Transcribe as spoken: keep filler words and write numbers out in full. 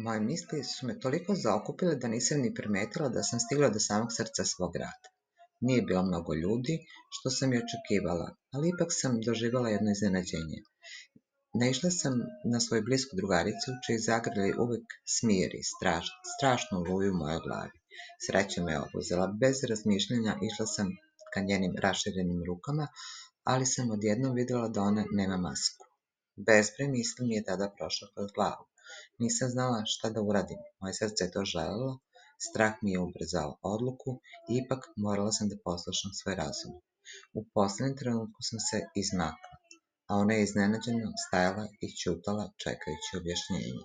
Moje misli su me toliko zaokupile da nisam ni primetila da sam stigla do samog srca svog grada. Nije bilo mnogo ljudi, što sam i očekivala, ali ipak sam doživjela jedno iznenađenje. Naišla sam na svoju blisku drugaricu, čiji zagrljaj uvek smiri straš, strašnu oluju u mojoj glavi. Sreća me obuzela, bez razmišljanja išla sam ka njenim raširenim rukama, ali sam odjednom vidjela da ona nema masku. Bezbroj misli mi je tada prošao kroz glavu. Nisam znala šta da uradim, moje srce je to želelo, strah mi je ubrzao odluku i ipak morala sam da poslušam svoj razum. U poslednjem trenutku sam se izmakla, a ona je iznenađeno stajala i ćutala čekajući objašnjenje.